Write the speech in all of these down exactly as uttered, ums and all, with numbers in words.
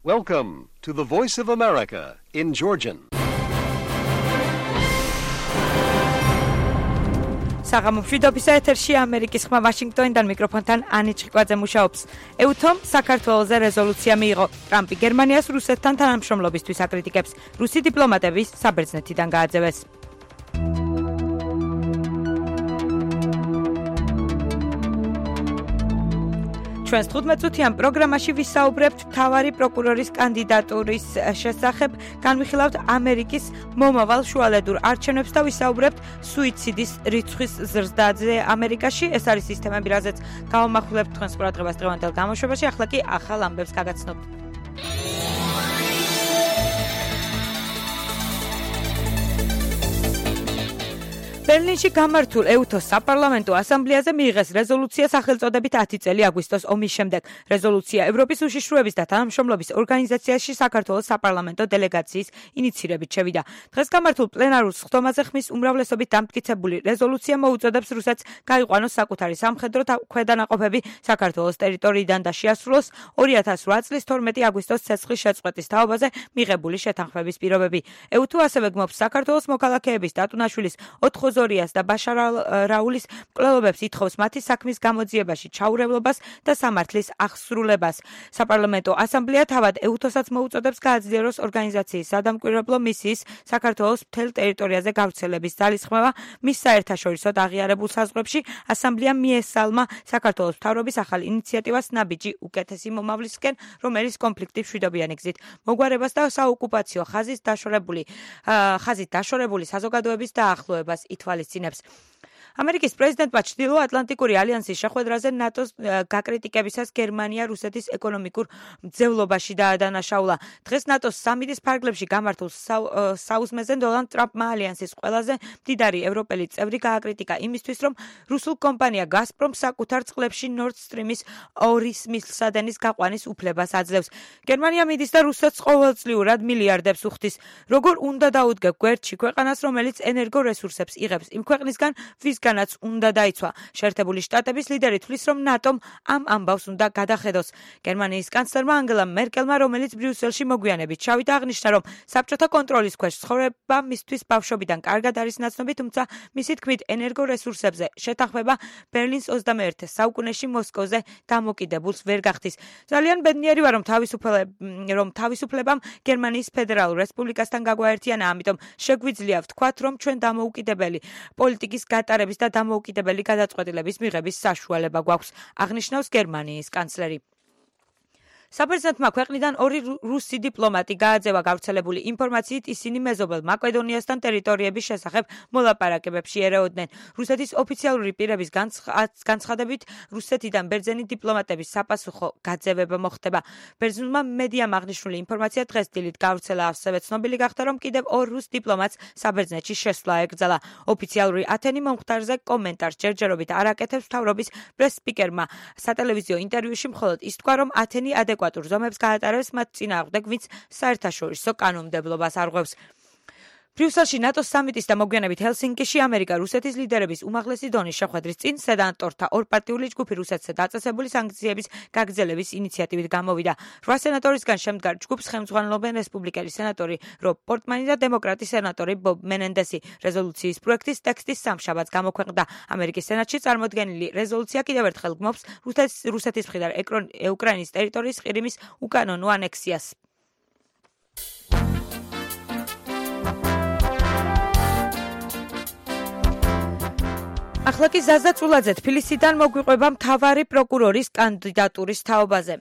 Welcome to the Voice of America in Georgian. საღამომშვიდობისა ეთერში ამერიკის ხმა ვაშინგტონიდან მიკროფონთან ანი ჭიკვაძე მუშაობს. ეუთომ საქართველოზე რეზოლუცია მიიღო. ტრამპი გერმანიას რუსეთთან თანამშრომლობისთვის აკრიტიკებს. რუსი დიპლომატები საბერძნეთიდან გააძევეს. ჩვენს თხუთმეტწუთიან პროგრამაში ვისაუბრებთ მთავარი პროკურორის კანდიდატურის შესახებ, განვიხილავთ ამერიკის მომავალ შუალედურ არჩევნებს და ვისაუბრებთ სუიციდის რიცხვის ზრდაზე ამერიკაში. ეს არის სისტემები, რაზეც გავამახვილებთ თქვენს ყურადღებას დღევანდელ გამოშვებაში. ახლა კი ახალ ამბებს გაგაცნობთ. ბერლინში გამართულ ეუთოს საპარლამენტო ასამბლეაზე მიიღეს რეზოლუცია სახელწოდებით ათი წელი აგვისტოს ომის შემდეგ. რეზოლუცია ევროპის უშიშროების და თანამშრომლობის ორგანიზაციაში საქართველოს საპარლამენტო დელეგაციის ინიცირებით შევიდა. დღეს გამართულ პლენარულ სხდომაზე ხმის უმრავლესობით დამტკიცებული რეზოლუცია მოუწოდებს რუსეთს გაიყვანოს საკუთარი სამხედრო ქვედანაყოფები საქართველოს ტერიტორიიდან და შეასრულოს ორი ათას რვა წლის თორმეტი აგვისტოს ცეცხლის შეწყვეტის თაობაზე მიღებული შეთანხმების პირობები. ეუთო ასევე გმობს საქართველოს მოქალაქეების დატუნაშვილის ოთხ ზორიას და ბაშარ რაულის მკვლელობებს ითხოვს მათი საქმის გამოძიებაში ჩაურევლობას და სამართლის აღსრულებას. საპარლამენტო ასამბლეა თავად ეუთოსაც მოუწოდებს გააძლიეროს ორგანიზაციის სადამკვირვებლო მისიის საქართველოს მთელ ტერიტორიაზე გავრცელების ძალისხმევა. მის საერთაშორისოდ აღიარებულ საზღვრებში ასამბლეამ მიესალმა საქართველოს მთავრობის ახალ ინიციატივას ნაბიჯი უკეთესი მომავლისკენ, რომელიც კონფლიქტის მშვიდობიანი გზით მოგვარებას და საოკუპაციო ხაზის დაშორებული ხაზით დაშორებული საზოგადოების დაახლოებას ითვალისწინებს. ამერიკის პრეზიდენტმა ჩრდილო-ატლანტიკური ალიანსის შეხვედრაზე ნატოს გაკრიტიკებისას გერმანია რუსეთის ეკონომიკურ მძევლობაში დაადანაშაულა. დღეს ნატოს სამიტის ფარგლებში გამართულ საუზმეზე დონალდ ტრამპმა ალიანსის ყველაზე მდიდარი ევროპელი წევრი გააკრიტიკა იმისთვის, რომ რუსულ კომპანია გაზპრომ საკუთარ წყლებში ნორდ სტრიმის ორის მილსადენის გაყვანის უფლებას აძლევს. გერმანია მიდის და რუსეთს ყოველწლიურად მილიარდებს უხდის. როგორ უნდა დაუდგე გვერდში ქვეყანას, რომელიც ენერგორესურსებს იღებს იმ ქვეყნისგან, ვისგანაც უნდა დაიცვა. შეერთებული შტატების ლიდერი თვლის, რომ ნატომ ამ ამბავს უნდა გადახედოს. გერმანიის კანცლერმა ანგელა მერკელმა, რომელიც ბრიუსელში მოგვიანებით ჩავიდა, აღნიშნა, რომ საბჭოთა კონტროლის ქვეშ ცხოვრება მისთვის ბავშვობიდან კარგად არის ნაცნობი, თუმცა მისი თქმით ენერგორესურსებზე შეთანხმება ბერლინს ოცდამეერთე საუკუნეში მოსკოვზე დამოკიდებულს ვერ გახდის. ძალიან ბედნიერი ვარ, რომ რომ თავისუფლებამ გერმანიის ფედერალურ რესპუბლიკასთან გაგვაერთიანა, ამიტომ შეგვიძლია ვთქვათ, რომ ჩვენ დამოუკიდებელი პოლიტიკის გატარების და დამოუკიდებელი გადაწყვეტილების მიღების საშუალება გვაქვს, აღნიშნავს გერმანიის კანცლერი. საბერძნეთმა ქვეყნიდან ორი რუსი დიპლომატი გააძევა. გავრცელებული ინფორმაციით ისინი მეზობელ მაკედონიასთან ტერიტორიების შესახებ მოლაპარაკებებში ერეოდნენ. რუსეთის ოფიციალური პირების განცხადებით, რუსეთიდან ბერძენი დიპლომატების საპასუხო გაძევება მოხდება. ბერძნულმა მედიამ აღნიშნული ინფორმაცია დღეს დილით გავრცელა, ასევე ცნობილი გახდა, რომ კიდევ ორ რუს დიპლომატს საბერძნეთში შესვლა ეკრძალა. ოფიციალური ათენი მომხდარზე კომენტარს ჯერჯერობით არ აკეთებს. მთავრობის პრეს-სპიკერმა სატელევიზიო ინტერვიუში მხოლოდ ის თქვა, რომ ათენი ადეკვატურ ზომებს გაატარებს მათ წინააღმდეგ, ვინც საერთაშორისო კანონმდებლობას არღვევს. ბრიუსელში ნატოს სამიტის და მოგვიანებით ჰელსინკიში ამერიკა რუსეთის ლიდერების უმაღლესი დონის შეხვედრის წინ სენატორთა ორპარტიული ჯგუფი რუსეთზე დაწესებული სანქციების გაგრძელების ინიციატივით გამოვიდა. რვა სენატორისგან შემდგარ ჯგუფს ხელმძღვანელობენ რესპუბლიკელი სენატორი რობ პორტმანი და დემოკრატი სენატორი ბობ მენენდესი. რეზოლუციის პროექტის ტექსტის სამშაბათს გამოქვეყნდა. ამერიკის სენატში წარმოდგენილი რეზოლუცია კიდევ ერთხელ გმობს რუსეთის მხრიდან უკრაინის ტერიტორიის ყირიმის უკანონო ანექსიას. ახლა კი ზაზა წულაძე თბილისიდან მოგვიყვება მთავარი პროკურორის კანდიდატურის თაობაზე.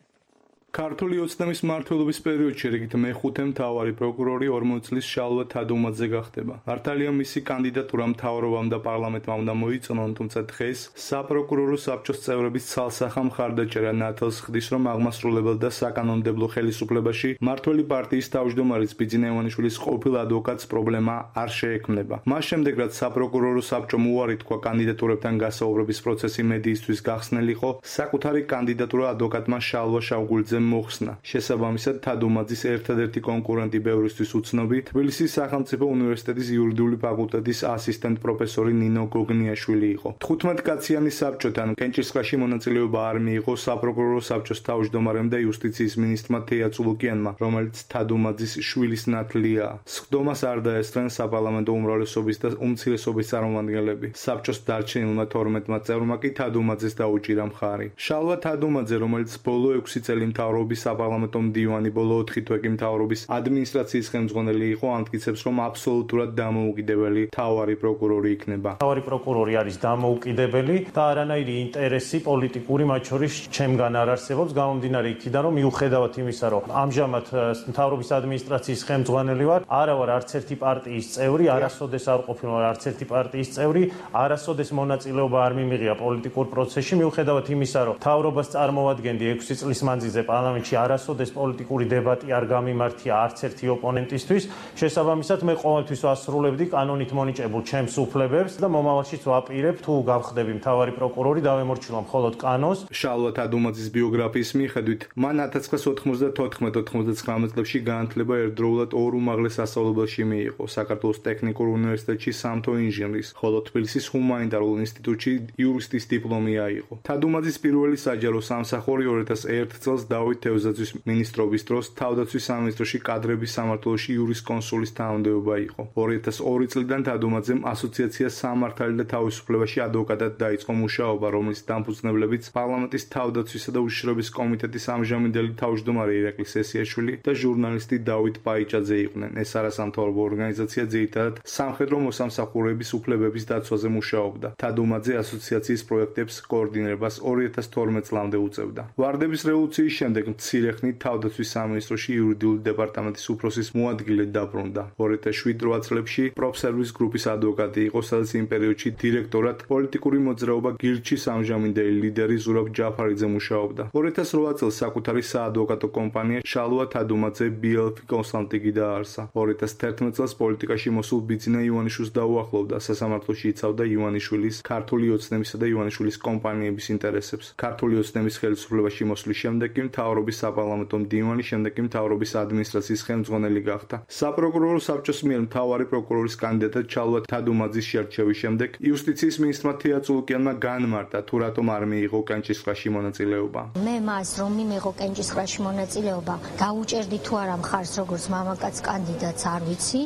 ქართული ოცნების მმართველობის პერიოდში რიგით მეხუთე მთავარი პროკურორი ორმოცი წლის შალვა თადუმაძე გახდება. მართალია მისი კანდიდატურა მთავრობამ და პარლამენტმა უნდა მოიწონონ, თუმცა დღეს საპროკურორო საბჭოს წევრების ცალსახა მხარდაჭერა ნათელს ხდის, რომ აღმასრულებელ და საკანონმდებლო ხელისუფლებაში მმართველი პარტიის თავმჯდომარის ბიძინა ივანიშვილის ყოფილ ადვოკატს პრობლემა არ შეექმნება. მას შემდეგ, რაც საპროკურორო საბჭომ უარი თქვა კანდიდატურებთან გასაუბრების პროცესი მედიისთვის გახსნილიყო, საკუთარი კანდიდატურა ადვოკატმა შალვა შავგულძემ თადუმაძემ მოხსნა. შესაბამისად, თადუმაძის ერთადერთი კონკურენტი ბევრისთვის უცნობი თბილისის სახელმწიფო უნივერსიტეტის იურიდიული ფაკულტეტის ასისტენტ პროფესორი ნინო გოგნიაშვილი იყო. თხუთმეტ კაციანი საბჭოთან კენჭისყრაში მონაწილეობა არ მიიღო საპროკურორო საბჭოს თავმჯდომარემ და იუსტიციის მინისტრმა თეა წულუკიანმა, რომელიც თადუმაძის შვილის ნათლია. სხდომას არ დაესწრნენ საპარლამენტო უმრავლესობის და უმცირესობის წარმომადგენლები. საბჭოს დარჩენილმა თორმეტმა წევრმა კი თადუმაძეს დაუჭირა მხარი. შალვა თადუმაძე, რომელიც ბოლო ექვსი წელი მთავრობის საპარლამენტო მდივანი, ბოლო ოთხი თვე კი მთავრობის ადმინისტრაციის ხელმძღვანელი იყო, ამტკიცებს, რომ აბსოლუტურად დამოუკიდებელი მთავარი პროკურორი იქნება. მთავარი პროკურორი არის დამოუკიდებელი და არანაირი ინტერესი პოლიტიკური მათ შორის ჩემგან არ არსებობს, გამომდინარე იქიდან, რომ მიუხედავად იმისა, რომ ამჟამად მთავრობის ადმინისტრაციის ხელმძღვანელი ვარ, არა ვარ არც ერთი პარტიის წევრი, არასოდეს არ ყოფილი ვარ არც ერთი პარტიის წევრი, არასოდეს მონაწილეობა არ მიმიღია პოლიტიკურ პროცესში, მიუხედავად იმისა, რომ მთავრობას წარმოვადგენდი ექვსი წლის მანძილზე პარლამენტში, არასოდეს პოლიტიკური დებატი არ გამიმართია არც ერთი ოპონენტისთვის, შესაბამისად მე ყოველთვის ვასრულებდი კანონით მონიჭებულ ჩემს უფლებებს და მომავალშიც ვაპირებ, თუ გავხდები მთავარი პროკურორი, დავემორჩილო მხოლოდ კანონს. შალვა თადუმაძის ბიოგრაფიის მიხედვით, მან ათას ცხრაასი ოთხმოცდათოთხმეტ ოთხმოცდათხრამეტ წლებში განათლება ერთდროულად ორ უმაღლეს სასწავლებელში მიიღო: საქართველოს ტექნიკურ უნივერსიტეტში სამთო ინჟინრის, ხოლო თბილისის ჰუმანიტარულ ინსტიტუტში იურისტის დიპლომი აიღო. თადუმაძის პირველი საჯარო სამსახური ორი ათას ერთ წელს დავით თევზაძის მინისტრობის დროს თავდაცვის სამინისტროში კადრების სამმართველოში იურისკონსულის თანამდებობა იყო. ორი ათას ორი წლიდან თადუმაძემ ასოციაცია სამართალი და თავისუფლებაში ადვოკატად დაიწყო მუშაობა, რომლის დამფუძნებლებიც პარლამენტის თავდაცვისა და უშიშროების კომიტეტის ამჟამინდელი თავმჯდომარე ირაკლი სესიაშვილი და ჟურნალისტი დავით პაიჭაძე იყვნენ. ეს არასამთავრობო ორგანიზაცია ძირითადად სამხედრო მოსამსახურეების უფლებების დაცვაზე მუშაობდა. თადუმაძე ასოციაციის პროექტებს კოორდინირებას ორი ათას თორმეტ წლამდე უწევდა. ვარდების რევოლუციის შემდეგ მცირე ხნით თავდაცვის სამინისტროში იურიდიული დეპარტამენტის უფროსის მოადგილედ დაბრუნდა. ორი ათას შვიდ რვა წლებში პროფსერვის გრუპის ადვოკატი იყო, სადაც იმ პერიოდში დირექტორად პოლიტიკური მოძრაობა გირჩის ამჟამინდელი ლიდერი ზურაბ ჯაფარიძე მუშაობდა. ორი ათას რვა წელს საკუთარი საადვოკატო კომპანია შალვა თადუმაძე ბი ელ ფი კონსალტინგი დააარსა. ორი ათას თერთმეტ წელს პოლიტიკაში მოსულ ბიძინა ივანიშვილს დაუახლოვდა, სასამართლოში იცავდა ივანიშვილის, ქართული ოცნებისა და ივანიშვილის კომპანიების ინტერესებს. ქართული ოცნების ხელისუფლებაში მოსვლის შემდეგ კი მთავრობის საპარლამენტო მდივანი, შემდეგ კი მთავრობის ადმინისტრაციის ხელმძღვანელი გახდა. საპროკურორო საბჭოს მიერ მთავარი პროკურორის კანდიდატად შალვა თადუმაძის შერჩევის შემდეგ იუსტიციის მინისტრმა თეა წულუკიანმა განმარტა, თუ რატომ არ მიიღო კენჭისყრაში მონაწილეობა. მე მას რომ მიმიღო კენჭისყრაში მონაწილეობა, დაუჭერდი თუ არა მხარს როგორც მამაკაც კანდიდატს არ ვიცი,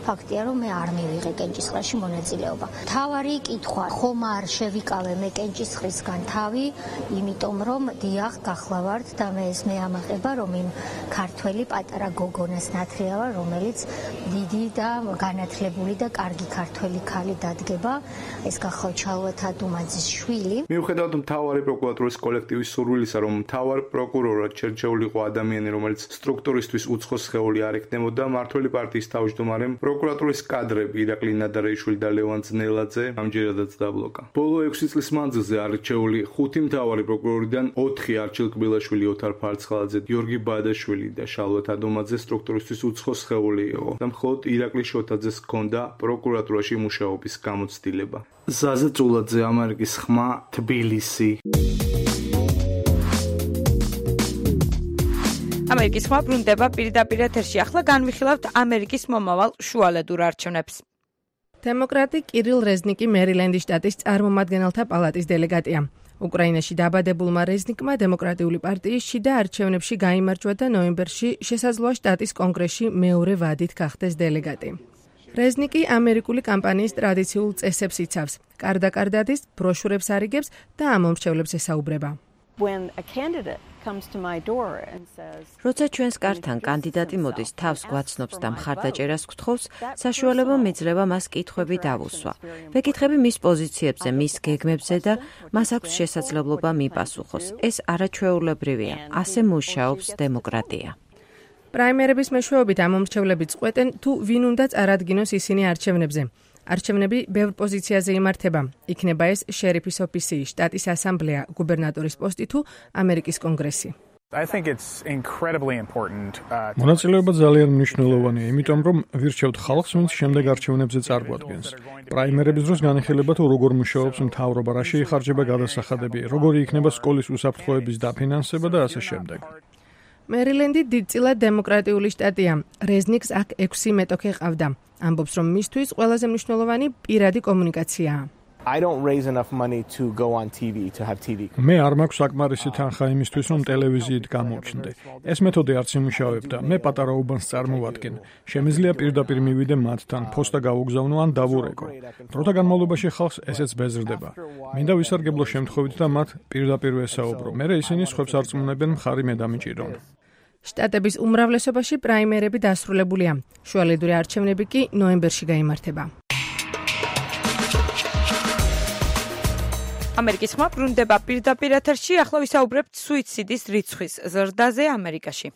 ფაქტია რომ მე არ მივიღე კენჭისყრაში მონაწილეობა. თავარი კითხვა, ხომ არ შევიკავე მე კენჭისყრისგან თავი, იმიტომ რომ დიახ გახლავართ და მე ეს მე ამაყება რომ იმ ქართველი პატარა გოგონას ნათლიავა, რომელიც დიდი და განათლებული და კარგი ქართველი ქალი დადგება, ეს გახლავთ შალვა თადუმაძის შვილი. მიუხედავად მთავარი პროკურატურის კოლექტივის სურვილისა, რომ მთავარ პროკურორად შერჩეულიყო ადამიანი, რომელიც სტრუქტურისთვის უცხო სხეული არ ექნებოდა, მმართველი პარტიის თავმჯდომარემ პროკურატურის კადრები ირაკლი ნადარეიშვილი და ლევან ძნელაძე ამჯერადაც დაბლოკა. ბოლო ექვსი წლის მანძილზე არჩეული ხუთი მთავარი პროკურორიდან ოთხი არჩილ კბილაშვილი, ოთარ ფარცხალაძე, გიორგი ბადაშვილი და შალვა თადუმაძე სტრუქტურისთვის უცხო სხეული იყო და მხოლოდ ირაკლი შოთაძეს ჰქონდა პროკურატურაში მუშაობის გამოცდილება. ზაზა წულაძე, ამერიკის ხმა, თბილისი. ამერიკის ხმა ბრუნდება პირდაპირ ეთერში. ახლა განვიხილავთ ამერიკის მომავალ შუალედურ არჩევნებს. დემოკრატი კირილ რეზნიკი მერილენდის შტატის წარმომადგენელთა პალატის დელეგატია. უკრაინაში დაბადებულმა რეზნიკმა დემოკრატიული პარტიის შიდა არჩევნებში გაიმარჯვა და ნოემბერში შესაძლოა შტატის კონგრესში მეორე ვადით გახდეს დელეგატი. რეზნიკი ამერიკული კამპანიის ტრადიციულ წესებს იცავს, კარდაკარდადის, ბროშურებს არიგებს და ამომრჩევლებს ესაუბრება. როცა ჩვენს კართან კანდიდატი მოდის, თავს გვაცნობს და მხარდაჭერას გთხოვს, საშუალება მეძლევა მას კითხვები დავუსვა. ვეკითხები მის პოზიციებზე, მის გეგმებზე და მას აქვს შესაძლებლობა მიპასუხოს. ეს არაჩვეულებრივია, ასე მუშაობს დემოკრატია. პრაიმერების მეშვეობით ამომრჩევლები წყვეტენ, თუ ვინ უნდა წარადგინოს ისინი არჩევნებზე. არჩევნები ბევრ პოზიციაზე იმართება. იქნება ეს შერიფის ოფისი, შტატის ასამბლეა, გუბერნატორის პოსტი თუ ამერიკის კონგრესი. მონაწილეობა ძალიან მნიშვნელოვანია, იმიტომ რომ ვირჩევთ ხალხს, ვინც შემდეგ არჩევნებზე წარგვადგენს. პრაიმერების დროს განიხილება თუ როგორ მუშაობს მთავრობა, რა შეიხარჯება გადასახადები, როგორი იქნება სკოლის უსაფრთხოების დაფინანსება და ასე შემდეგ. მერილენდი დიდწილად დემოკრატიული შტატია. რეზნიკს აქ ექვსი მეტოქე ყავდა. ამბობს, რომ მისთვის ყველაზე მნიშვნელოვანი პირადი კომუნიკაციაა. I don't raise enough money to go on T V to have T V. მე არ მაქვს საკმარისი თანხა იმისთვის, რომ ტელევიზიით გამოვჩნდე. ეს მეთოდი არც იმუშავებდა. მე პატარა უბანს წარმოვადგენ. შემიძლია პირდაპირ მივიდე მათთან, ფოსტა გავუგზავნო ან დავურეკო. დროთა განმავლობაში ხალხს ესეც ბეზრდება. მინდა ვისარგებლო შემთხვევით და მათ პირდაპირ ვესაუბრო. მერე ისინი სხვებს არწმუნებენ, მხარი მე დამიჭირონ. შტატების უმრავლესობაში პრაიმერები დასრულებულია. შუალედური არჩევნები კი ნოემბერში გაიმართება. ამერიკის ხმა ბრუნდება პირდაპირ ეთერში, ახლა ვისაუბრებთ სუიციდის რიცხვის ზრდაზე ამერიკაში.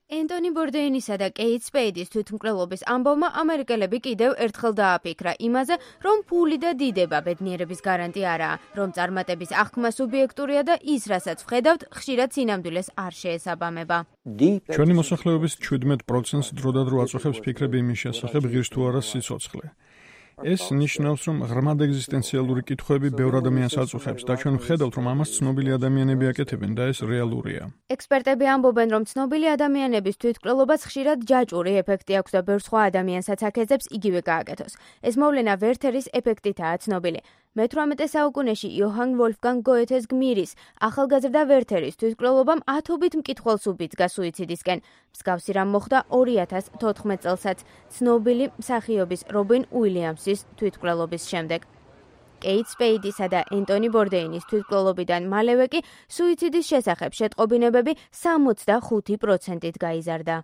ენტონი ბორდეინისა და კეით სპეიდის თვითმკვლელობის ამბავმა ამერიკელები კიდევ ერთხელ დააფიქრა იმაზე, რომ ფული და დიდება ბედნიერების გარანტია არაა, რომ წარმატების აღქმა სუბიექტურია და ის, რასაც ვხედავთ, ხშირად სინამდვილეს არ შეესაბამება. ჩვენი მოსახლეობის შვიდმეტ პროცენტს დროდადრო აწუხებს ფიქრები იმის შესახებ, ღირს თუ არა სიცოცხლე. ეს ნიშნავს, რომ ღრმად ეგზისტენციალური კითხვები ბევრ ადამიანს აწუხებს და ჩვენ ვხედავთ, რომ ამას ცნობილი ადამიანები აკეთებენ და ეს რეალურია. ექსპერტები ამბობენ, რომ ცნობილი ადამიანების თვითმკვლელობას ხშირად ჯაჭვური ეფექტი აქვს და ბევრ სხვა ადამიანსაც აქეზებს იგივე გააკეთოს. ეს მოვლენა ვერთერის ეფექტითაა ცნობილი. მეთვრამეტე საუკუნეში იოჰან ვოლფგანგ გოეთეს გმირის ახალგაზრდა ვერთერის თვითმკვლელობამ ათობით მკითხველს უბიძგა სუიციდისკენ. მსგავსი რამ მოხდა ორი ათას თოთხმეტ წელსაც ცნობილი მსახიობის რობინ უილიამსის თვითმკვლელობის შემდეგ. კეით სპეიდისა და ენტონი ბორდეინის თვითმკვლელობიდან მალევე კი სუიციდის შესახებ შეტყობინებები სამოცდახუთი პროცენტით გაიზარდა.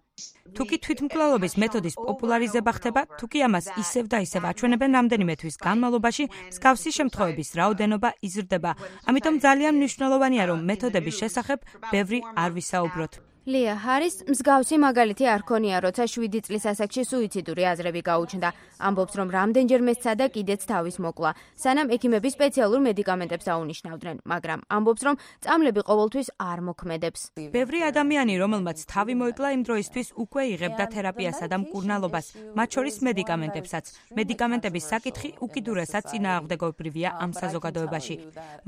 თუკი თვითმკვლელობის მეთოდის პოპულარიზება ხდება, თუკი ამას ისევ და ისევ აჩვენებენ რამდენიმე თვის განმავლობაში, მსგავსი შემთხვევების რაოდენობა იზრდება. ამიტომ ძალიან მნიშვნელოვანია, რომ მეთოდების შესახებ ბევრი არ ვისაუბროთ. ლია ჰარის მსგავსი მაგალითი არ ქონია, როცა შვიდი წლის ასაკში სუიციდური აზრები გაუჩნდა. ამბობს, რომ რამდენჯერმე სცადა კიდეც თავის მოკლა, სანამ ექიმები სპეციალურ მედიკამენტებს აუნიშნავდნენ, მაგრამ ამბობს, რომ წამლები ყოველთვის არ მოქმედებს. ბევრი ადამიანი, რომელმაც თავი მოიკლა, იმ დროისთვის უკვე იღებდა თერაპიასა და მკურნალობას, მათ შორის მედიკამენტებსაც. მედიკამენტების საკითხი უკიდურესად წინააღმდეგობრივია ამ საზოგადოებაში.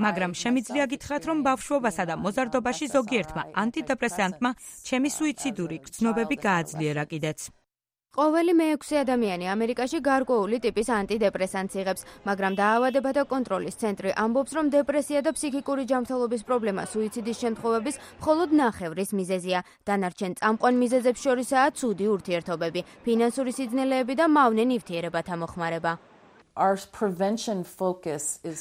მაგრამ შემიძლია გითხრათ, რომ ბავშვობასა და მოზარდობაში ზოგიერთმა ანტიდეპრესანტმა ჩემი სუიციდური გრძნობები გააძლიერა კიდეც. ყოველი მეექვსე ადამიანი ამერიკაში გარკვეული ტიპის ანტიდეპრესანტს იღებს, მაგრამ დაავადებათა კონტროლის ცენტრი ამბობს, რომ დეპრესია და ფსიქიკური ჯანმრთელობის პრობლემა სუიციდის შემთხვევების მხოლოდ ნახევრის მიზეზია. დანარჩენ წამყვან მიზეზებს შორისაა ცუდი ურთიერთობები, ფინანსური სიძნელეები და მავნე ნივთიერებათა მოხმარება.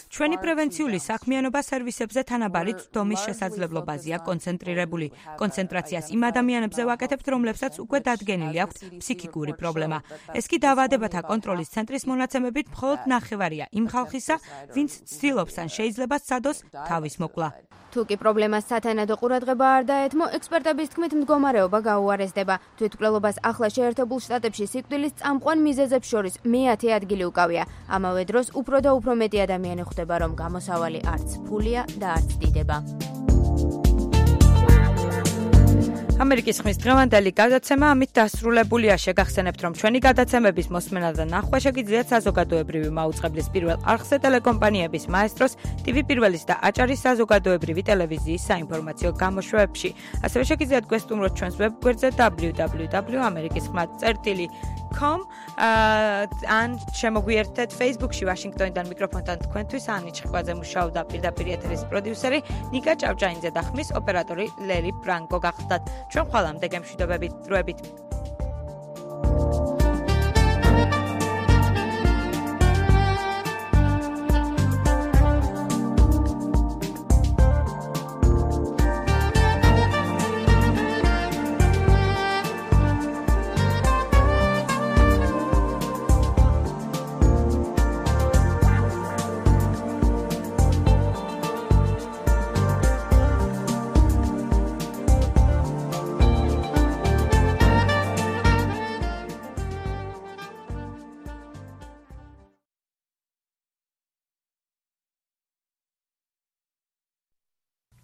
ჩვენი პრევენციული საქმიანობა სერვისებზე თანაბარი წვდომის შესაძლებლობაზეა კონცენტრირებული. კონცენტრაციას იმ ადამიანებზე ვაკეთებთ, რომლებსაც უკვე დადგენილი აქვთ ფსიქიკური პრობლემა. ეს კი დაავადებათა კონტროლის ცენტრის მონაცემებით მხოლოდ ნახევარია იმ ხალხისა, ვინც ცდილობს ან შეიძლება სცადოს თავის მოკლა. თუკი პრობლემას სათანადო ყურადღება არ დაეთმო, ექსპერტების თქმით მდგომარეობა გაუარესდება. თვითმკვლელობას ახლა შეერთებულ შტატებში სიკვდილის წამყვან მიზეზებს შორის მეათე ადგილი უკავია. ამავე დროს უფრო და უფრო მეტი ადამიანი ხვდება, რომ გამოსავალი არც ფულია და არც დიდება. ამერიკის ხმის დღევანდელი გადაცემა ამით დასრულებულია. შეგახსენებთ, რომ ჩვენი გადაცემების მოსმენა და ნახვა შეგიძლიათ საზოგადოებრივი მაუწყებლის პირველ არხზე, ტელეკომპანიების მაესტროს, ტივი პირველის და აჭარის საზოგადოებრივი ტელევიზიის საინფორმაციო გამოშვებებში. ასევე შეგიძლიათ გვესტუმროთ ჩვენს ვებგვერდზე დაბლიუ დაბლიუ დაბლიუ წერტილი ამერიკის ხმა წერტილი com ან შემოგვიერთეთ Facebook-ში. ვაშინგტონიდან მიკროფონთან თქვენთვის ანი ჩხკვაძე მუშაობდა, პირდაპირ ეთერის პროდიუსერი ნიკა ჭავჭაინძე და ხმის ოპერატორი ლერი ბრანკო გახდათ. ჩვენ ხვალამდე გემშვიდობებით, დროებით.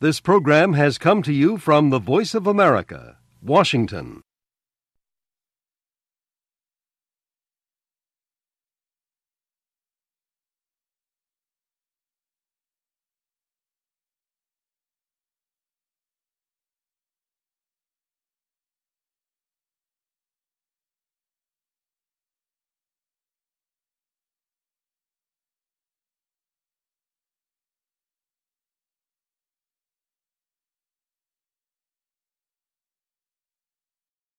This program has come to you from the Voice of America, Washington.